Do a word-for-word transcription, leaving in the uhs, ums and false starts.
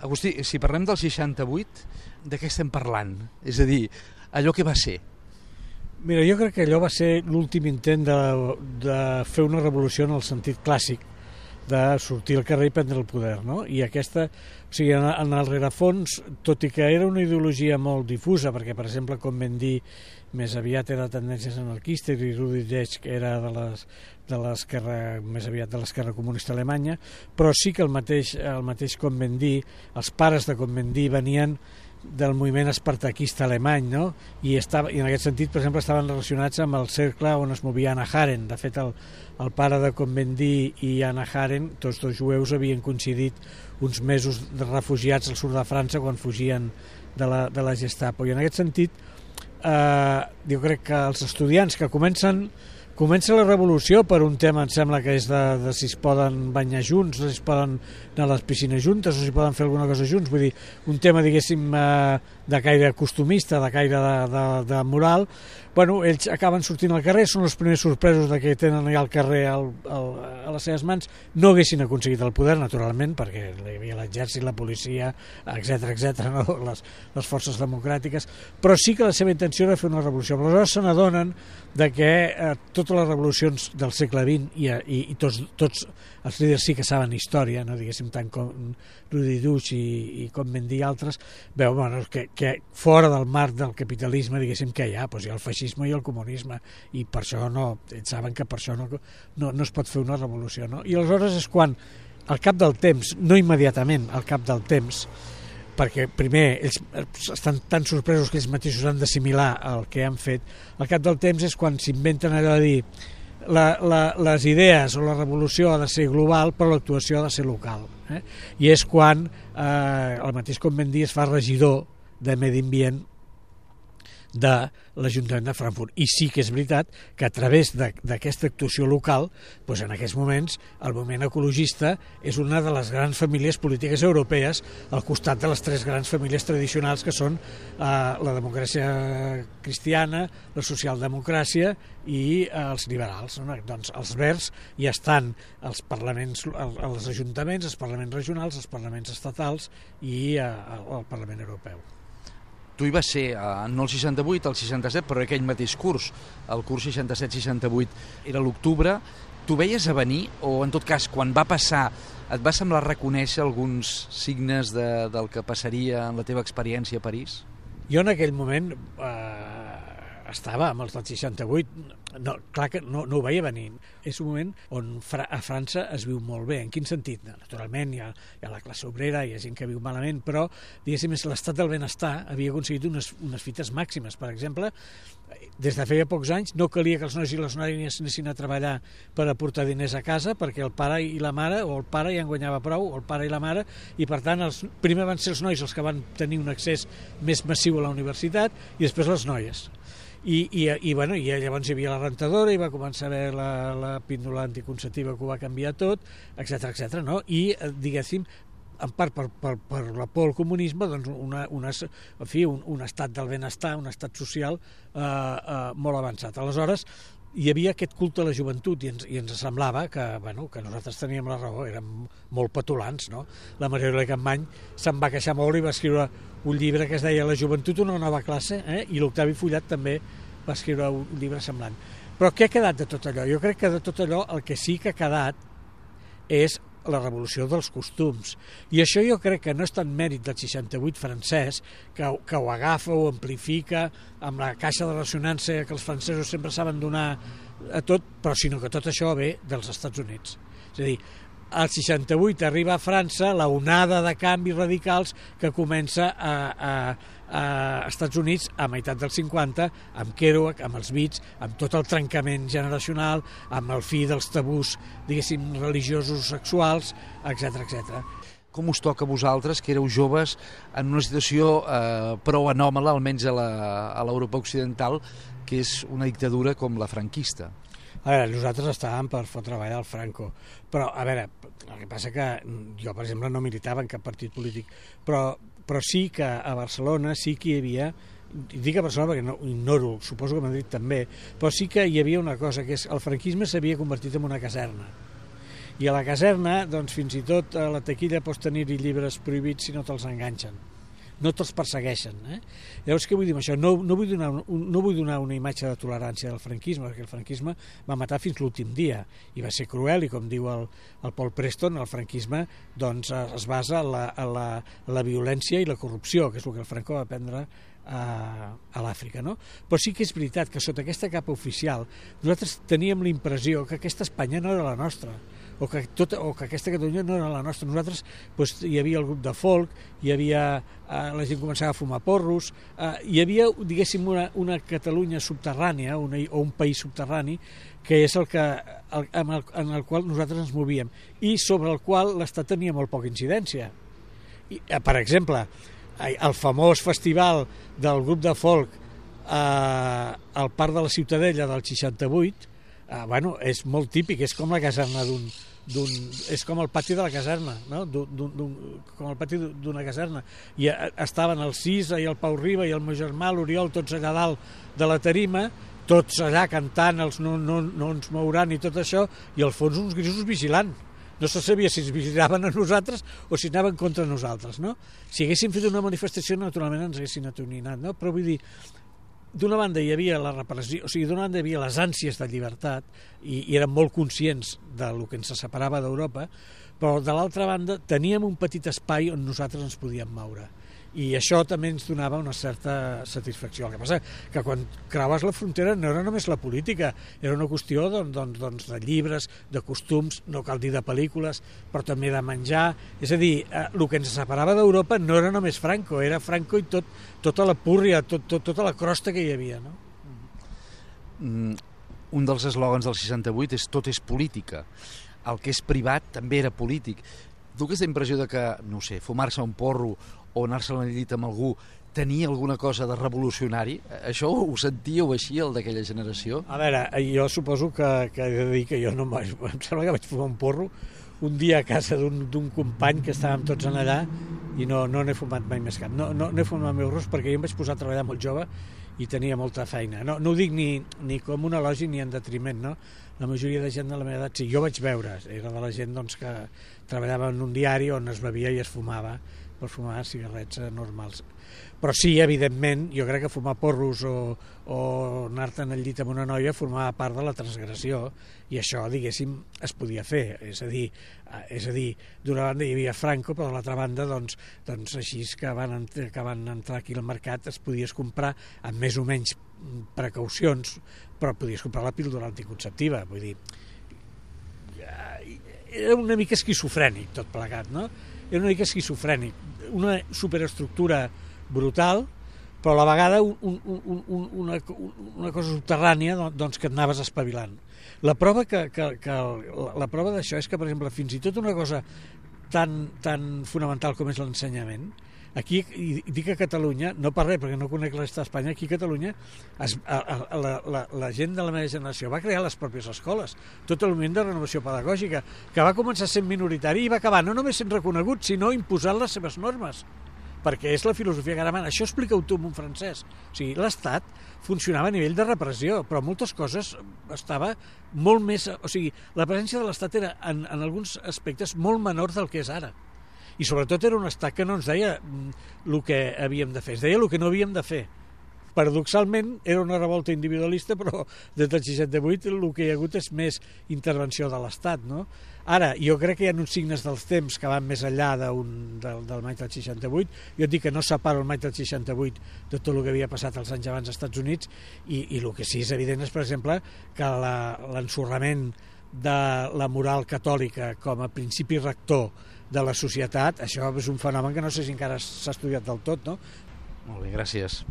Agustí, si parlem del seixanta-vuit, de què estem parlant? És a dir, allò que va ser. Mira, jo crec que allò va ser l'últim intent de, de fer una revolució en el sentit clàssic, de sortir al carrer i prendre el poder, no? I aquesta, o sigui, en, en el rerefons, tot i que era una ideologia molt difusa, perquè, per exemple, com vam dir, més aviat era de tendències anarquistes i Rudi Dutsch era de les de l'esquerra, més aviat de l'esquerra comunista alemanya, però sí que el mateix, el mateix Cohn-Bendit, els pares de Cohn-Bendit venien del moviment espartaquista alemany, no? I, estava, i en aquest sentit, per exemple, estaven relacionats amb el cercle on es movia Hannah Arendt. De fet, el, el pare de Cohn-Bendit i Hannah Arendt, tots dos jueus, havien coincidit uns mesos de refugiats al sud de França quan fugien de la, de la Gestapo. I en aquest sentit, eh, jo crec que els estudiants que comencen Comença la revolució per un tema, em sembla que és de, de si es poden banyar junts, si es poden anar a les piscines juntes o si poden fer alguna cosa junts, vull dir, un tema, diguéssim, de caire costumista, de caire de, de, de moral. Bueno, ells acaben sortint al carrer, són els primers sorpresos de que tenen allà al carrer al, al, a les seves mans. No haguessin aconseguit el poder, naturalment, perquè hi havia l'exèrcit, la policia, etcètera, etcètera, no? les, les forces democràtiques, però sí que la seva intenció era fer una revolució. Però aleshores se n'adonen de que eh, totes les revolucions del segle vint i, i, i tots, tots els líders sí que saben història, no diguéssim tant com Rudi Dutsch i, i com ben dir altres, veu bueno, que, que fora del marc del capitalisme, diguéssim, que hi ha, doncs hi ha el feixisme i el comunisme, i per això no, ells saben que per això no, no, no es pot fer una revolució, no? I aleshores és quan, al cap del temps, no immediatament, al cap del temps, perquè primer ells estan tan sorpresos que ells mateixos han d'assimilar el que han fet, al cap del temps és quan s'inventen allò de dir la, la, les idees o la revolució ha de ser global però l'actuació ha de ser local, eh? I és quan eh, el mateix Cohn-Bendit es fa regidor de Medi Ambient de l'Ajuntament de Frankfurt. I sí que és veritat que a través d'aquesta actuació local, doncs en aquests moments el moviment ecologista és una de les grans famílies polítiques europees al costat de les tres grans famílies tradicionals que són eh, la democràcia cristiana, la socialdemocràcia i eh, els liberals, no? Doncs els verds ja estan als parlaments, als ajuntaments, als parlaments regionals, als parlaments estatals i eh, al Parlament Europeu. Tu hi vas ser, eh, no el seixanta-vuit, el seixanta-set, però aquell mateix curs, el curs seixanta-set seixanta-vuit, era l'octubre. Tu veies a venir, o en tot cas, quan va passar, et va semblar reconèixer alguns signes de, del que passaria en la teva experiència a París? Jo en aquell moment eh, estava amb els del seixanta-vuit, no, clar que no, no ho veia venir. És un moment on fra, a França es viu molt bé. En quin sentit? Naturalment hi ha, hi ha la classe obrera, hi ha gent que viu malament, però diguéssim, l'estat del benestar havia aconseguit unes, unes fites màximes. Per exemple, des de feia pocs anys no calia que els nois i les noies anessin a treballar per aportar diners a casa, perquè el pare i la mare, o el pare ja en guanyava prou, o el pare i la mare, i per tant els, primer van ser els nois els que van tenir un accés més massiu a la universitat i després les noies. I, i, i, bueno, i llavors hi havia la rentadora i va començar a haver la, la píndola anticonceptiva que ho va canviar tot, etcètera, etcètera, no? I, diguéssim, en part per, per, per la por al comunisme, doncs una, una, en fi, un, un estat del benestar, un estat social eh, eh, molt avançat. Aleshores, hi havia aquest culte a la joventut i ens, i ens semblava que, bueno, que nosaltres teníem la raó, érem molt petulants, no? La Maria Campmany se'n va queixar molt i va escriure un llibre que es deia La joventut, una nova classe, eh? I l'Octavi Fullat també va escriure un llibre semblant. Però què ha quedat de tot allò? Jo crec que de tot allò el que sí que ha quedat és la revolució dels costums. I això jo crec que no és tant mèrit del seixanta-vuit francès, que, que ho agafa, ho amplifica, amb la caixa de ressonància que els francesos sempre saben donar a tot, però sinó que tot això ve dels Estats Units. És a dir, al seixanta-vuit arriba a França la onada de canvis radicals que comença a, a, a Estats Units a meitat dels cinquanta, amb Kerouac, amb els Beats, amb tot el trencament generacional, amb el fi dels tabús, diguéssim, religiosos sexuals, etcètera, etcètera. Com us toca a vosaltres, que éreu joves, en una situació eh, prou anòmala, almenys a l'Europa occidental, que és una dictadura com la franquista? A veure, nosaltres estàvem per fotre avall al Franco, però, a veure, el que passa que jo, per exemple, no militava en cap partit polític, però, però sí que a Barcelona sí que hi havia, dic a Barcelona perquè no ho ignoro, suposo que a Madrid també, però sí que hi havia una cosa, que és el franquisme s'havia convertit en una caserna. I a la caserna, doncs, fins i tot a la taquilla pots tenir-hi llibres prohibits si no te'ls enganxen. No te'ls persegueixen. Eh? Llavors, què vull dir amb això? No, no, vull donar un, no vull donar una imatge de tolerància del franquisme, perquè el franquisme va matar fins l'últim dia, i va ser cruel, i com diu el, el Paul Preston, el franquisme doncs, es basa en la, en la, la violència i la corrupció, que és el que el Franco va prendre a, a l'Àfrica. No? Però sí que és veritat que sota aquesta capa oficial nosaltres teníem la impressió que aquesta Espanya no era la nostra, o que, tot, o que aquesta Catalunya no era la nostra. Nosaltres doncs, hi havia el grup de folk, hi havia, eh, la gent començava a fumar porros, eh, hi havia, diguéssim, una, una Catalunya subterrània, una, o un país subterrani, que és el que, el, en, el, en el qual nosaltres ens movíem, i sobre el qual l'Estat tenia molt poca incidència. I, eh, per exemple, el famós festival del grup de folk eh, al Parc de la Ciutadella del seixanta-vuit, eh, bueno, és molt típic, és com la caserna d'un d'un, és com el pati de la caserna, no? d'un, d'un, com el pati d'una caserna. I estaven el Cisa i el Pau Riba i el meu germà, l'Oriol, tots allà dalt de la tarima, tots allà cantant els no, no, no ens mouran i tot això, i al fons uns grisos vigilant. No se sabia si ens vigilaven a nosaltres o si anaven contra nosaltres, no? Si haguéssim fet una manifestació, naturalment ens haguessin atonyinat, no? Però vull dir, d'una banda hi havia la repressió, o sigui, d'una banda hi havia les ànsies de llibertat i, i érem molt conscients del que ens separava d'Europa, però de l'altra banda teníem un petit espai on nosaltres ens podíem moure. I això també ens donava una certa satisfacció. El que passa que quan creues la frontera no era només la política, era una qüestió doncs, doncs, doncs, de llibres, de costums, no cal dir de pel·lícules, però també de menjar. És a dir, eh, el que ens separava d'Europa no era només Franco, era Franco i tot, tota la púrria, tot, tot, tota la crosta que hi havia. No? Mm, un dels eslògans del seixanta-vuit és tot és política. El que és privat també era polític. Tu aquesta impressió de que, no sé, fumar-se un porro o anar-se a la llit amb algú tenia alguna cosa de revolucionari? Això ho sentíeu així, el d'aquella generació? A veure, jo suposo que, que he de dir que jo no em vaig... Em sembla que vaig fumar un porro un dia a casa d'un company que estàvem tots en allà i no no n'he fumat mai més cap. No, no, no he fumat meus ros perquè jo em vaig posar a treballar molt jove i tenia molta feina. No, no ho dic ni, ni com un elogi ni en detriment, no? La majoria de gent de la meva edat, sí, jo vaig veure, era de la gent doncs, que treballava en un diari on es bevia i es fumava, per fumar cigarrets normals. Però sí, evidentment, jo crec que fumar porros o, o anar-te'n al llit amb una noia formava part de la transgressió i això, diguéssim, es podia fer. És a dir, és a dir d'una banda hi havia Franco, però de l'altra banda, doncs, doncs així que van, que van entrar aquí al mercat es podies comprar amb més o menys precaucions, però podies comprar la píldora anticonceptiva. Vull dir, era una mica esquizofrènic tot plegat, no? Era una mica esquizofrènic, una superestructura brutal, però a la vegada un, un, un, un, una, una cosa subterrània doncs, que et anaves espavilant. La prova, que, que, que, la, la prova d'això és que, per exemple, fins i tot una cosa tan, tan fonamental com és l'ensenyament, aquí, i dic a Catalunya, no per res, perquè no conec l'estat d'Espanya, aquí a Catalunya es, a, a, la, la, la gent de la meva generació va crear les pròpies escoles, tot el moviment de renovació pedagògica, que va començar sent minoritari i va acabar no només sent reconegut, sinó imposant les seves normes, perquè és la filosofia que ara mana. Això explica-ho tu en un francès. O sigui, l'Estat funcionava a nivell de repressió, però moltes coses estava molt més... O sigui, la presència de l'Estat era, en, en alguns aspectes, molt menor del que és ara. I sobretot era un estat que no ens deia el que havíem de fer, es deia el que no havíem de fer. Paradoxalment era una revolta individualista, però des del seixanta-vuit el que hi ha hagut és més intervenció de l'estat, no? Ara, jo crec que hi ha uns signes dels temps que van més enllà un, del, del maig del seixanta-vuit. Jo et dic que no separo el maig del seixanta-vuit de tot el que havia passat els anys abans als Estats Units i, i el que sí és evident és, per exemple, que l'ensorrament de la moral catòlica com a principi rector de la societat, això és un fenomen que no sé si encara s'ha estudiat del tot, no? Molt bé, gràcies.